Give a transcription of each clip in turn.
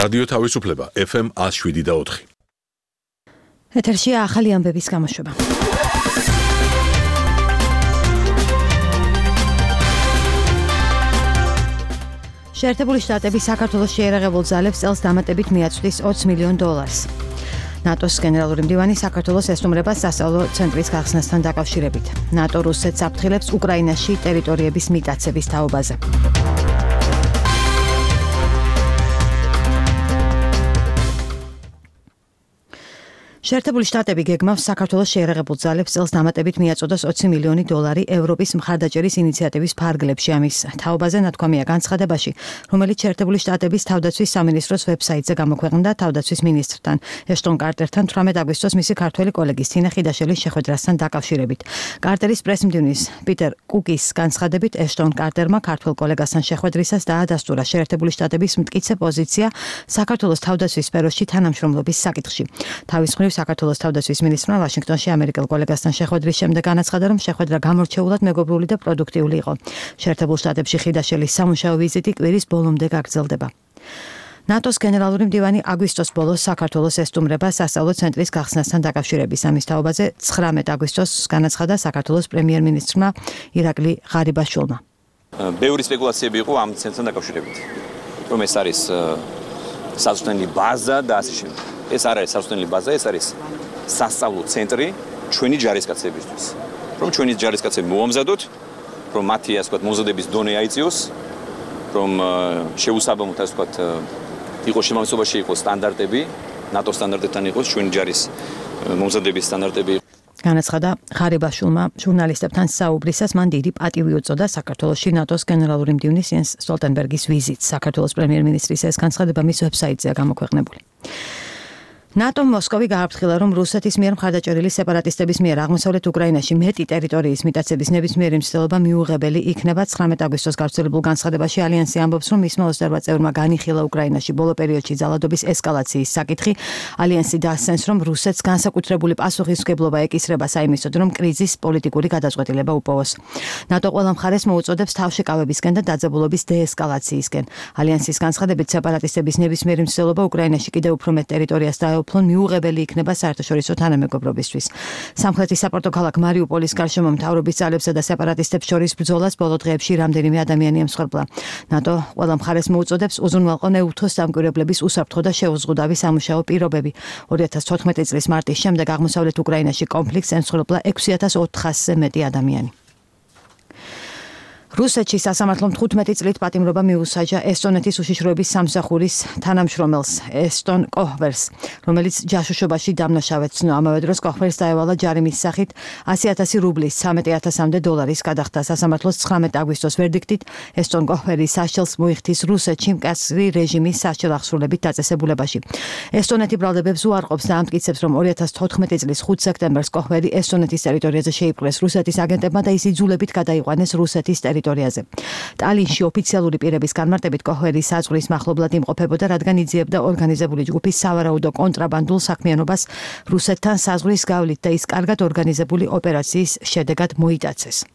რადიო თავისუფლება FM 107.4. ეთერშია ახალი ამბების გამოშვება. შეერთებული შტატები საქართველოს შეიარაღებულ ძალებს წელს დამატებით მიაწვდის $20 მილიონ. ნატოს გენერალური მდივანი საქართველოს ესტუმრება სასწავლო ცენტრის გახსნასთან დაკავშირებით. ნატო რუსეთს აფრთხილებს უკრაინაში ტერიტორიების მიტაცების თაობაზე. შეერთებული შტატები გეგმავს საქართველოს შეიარაღებულ ძალებს წელს დამატებით მიაწოდოს $20 მილიონი ევროპის მხარდაჭერის ინიციატივის ფარგლებში. ამის თაობაზე ნათქვამია განცხადებაში, რომელიც შეერთებული შტატების თავდაცვის სამინისტროს ვებსაიტზე გამოქვეყნდა თავდაცვის მინისტრთან ეშტონ კარტერთან 18 აგვისტოს მისი ქართველი კოლეგის თინა ხიდაშელის შეხვედრასთან დაკავშირებით. კარტერის პრესმდივნის პიტერ კუკის განცხადებით ეშტონ კარტერმა ქართველ კოლეგასთან შეხვედრისას დაადასტურა შეერთებული შტატების მტკიცე პოზიცია საქართველოს თავდაცვის სფეროში თანამშრომლობის საკითხში. თავის მხრივ საქართველოს თავდაცვის მინისტრმა ვაშინგტონში ამერიკელ კოლეგასთან შეხვედრის შემდეგ განაცხადა, რომ შეხვედრა გამორჩეულად მეგობრული და პროდუქტიული იყო. შეერთებულ შტატებში ხიდაშელის სამუშაო ვიზიტი კვირის ბოლომდე გაგრძელდება. ნატოს გენერალური მდივანი აგვისტოს ბოლოს საქართველოს ესტუმრება სასწავლო ცენტრის გახსნასთან დაკავშირების. ამის თაობაზე 19 აგვისტოს განაცხადა საქართველოს პრემიერ-მინისტრმა ირაკლი ღარიბაშვილმა. ბევრი სპეკულაციები იყო ამ ცენტრთან დაკავშირებით, რომ ეს არის სასწავლო ბაზა და ასე შემდეგ. ეს არ არის სასწავლო ბაზა, ეს არის სასწავლო ცენტრი ჩვენი ჯარისკაცებისთვის. რომ ჩვენი ჯარისკაცები მოამზადოთ, რომ მათი ასე ვთქვათ მომზადების დონე აიწიოს, რომ შეუსაბამოდ ასე ვთქვათ იყოს შემავსებაში იყოს სტანდარტები, ნატოს სტანდარტებთან იყოს ჩვენი ჯარის მომზადების სტანდარტები. განაცხადა ღარიბაშვილმა ჟურნალისტებთან საუბრისას. მან დიდი პატივი უწოდა საქართველოში ნატოს გენერალური მდივნის იენს სტოლტენბერგის ვიზიტს. საქართველოს პრემიერ-მინისტრის ეს განცხადება მის ვებსაიტზეა გამოქვეყნებული. ნატომ მოსკოვი გააფრთხილა, რომ რუსეთის მიერ მხარდაჭერილი სეპარატისტების მიერ აღმოსავლეთ უკრაინაში მეტი ტერიტორიის მიტაცების ნებისმიერი მცდელობა მიუღებელი იქნება. 19 აგვისტოს გავრცელებულ განცხადებაში ალიანსი ამბობს, რომ მისმა 28 წევრმა განიხილა უკრაინაში ბოლო პერიოდში ძალადობის ესკალაციის საკითხი. ალიანსი დაასცენს, რომ რუსეთს განსაკუთრებული პასუხისმგებლობა ეკისრება საიმისოდ, რომ კრიზის პოლიტიკური გადაწყვეტილება უპოვოს. ნატო ყველა მხარეს მოუწოდებს თავშეკავებისკენ და დაძაბულობის დეესკალაციისკენ. ალიანსის განცხადებით სეპარატისტების ნებისმიერი მცდელობა უკრაინაში კიდევ უფრო მეტ ტერიტორიას ფლონ მიუღებელი იქნება საერთაშორისო თანამეგობრობისთვის. სამხრეთის საპორტო ქალაქ მარიუპოლის გარშემო მთავრობის ძალებსა და სეპარატისტებს შორის ბრძოლას ბოლო დღეებში რამდენიმე ადამიანი ემსხვერპლა. ნატო ყველა მხარეს მოუწოდებს უზრუნველყო ნეუთოს დამკვირვებლების უსაფრთხო და შეუზღუდავი სამუშაო პირობები. 2014 წლის მარტის შემდეგ აღმოსავლეთ უკრაინაში კონფლიქტს ემსხვერპლა 6400-ზე მეტი ადამიანი. რუსეთში სასამართლომ 15 წლით პატიმრობა მიუსაჯა ესტონეთის უშიშროების სამსახურის თანამშრომელს ესტონ კოჰვერს, რომელიც ჯაშუშობაში დამნაშავედ ცნო. ამავე დროს კოჰვერს დაევალა ჯარიმის სახით 100,000 რუბლის $13,000 გადახდა. სასამართლოს 19 აგვისტოს ვერდიქტით ესტონ კოჰვერი საშელს მოიხდის რუსეთში მკაცრი რეჟიმის სასჯელ აღსრულებით დაწესებულებაში. ესტონეთი ბრალდებებს უარყოფს და ამტკიცებს, რომ 2014 წლის 5 სექტემბერს კოჰვერი ესტონეთის ტერიტორიაზე შეიპყრეს რუსეთის აგენტებმა და ის იძულებით გადაიყვანეს რუსეთის ტერიტორიაზე. ტალინში ოფიციალური პირების განმარტებით კოჰვერი საზღვრის მახლობლად იმყოფებოდა, რადგან იძიებდა ორგანიზებული ჯგუფის სავარაუდო კონტრაბანდულ საქმიანობას რუსეთთან საზღვრის გავლით და ის კარგად ორგანიზებული ოპერაციის შედეგად მოიტაცეს.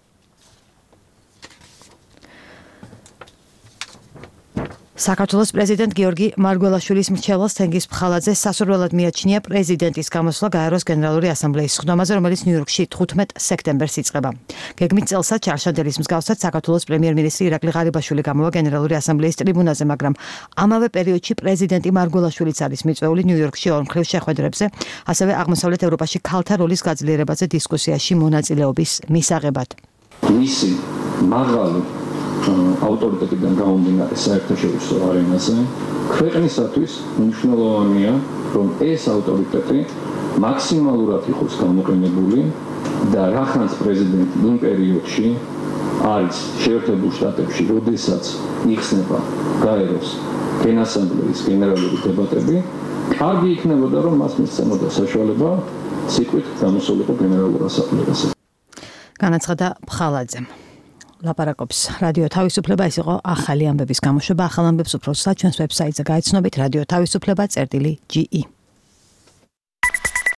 საქართველოს პრეზიდენტ გიორგი მარგველაშვილის მრჩეველს თენგიზ ფხალაძე სასურველად მიაჩნია პრეზიდენტის გამოსვლა გაეროს გენერალური ასამბლეის სხდომაზე, რომელიც ნიუ-იორკში 15 სექტემბერს იწყება. გეგმით წელსაც ჩარშადელის მსგავსად საქართველოს პრემიერ-მინისტრი ირაკლი ღარიბაშვილი გამოვა გენერალური ასამბლეის ტრიბუნაზე, მაგრამ ამავე პერიოდში პრეზიდენტი მარგველაშვილიც არის მიწვეული ნიუ-იორკში ორმხრივ შეხვედრებზე, ასევე აღმოსავლეთ ევროპაში ქალთა როლის გაძლიერებაზე დისკუსიაში მონაწილეობის მისაღებად. მისი მაღალი ავტორიტეტიდან გამომდინარე საერთაშორისო არენაზე ქვეყნისათვის მნიშვნელოვანია, რომ ეს ავტორიტეტი მაქსიმალურად იყოს გამოყენებული და რახანს პრეზიდენტი იმ პერიოდში არის შეერთებულ შტატებში, როდესაც იხსნება გაეროს გენასამბლეის გენერალური დებატები, კარგი იქნებოდა, რომ მას მისცემოდა საშუალება სიკვდით გამოსულიყო გენერალურ ასამბლეაზე. განაცხადა ფხალაძემ. ლაპარაკობს რადიო თავისუფლება. ეს იყო ახალი ამბების გამოშვება. ახალ ამბებს უფრო სულ ჩვენს ვებსაიტზე გაიცნობით radio-tavisupleba.ge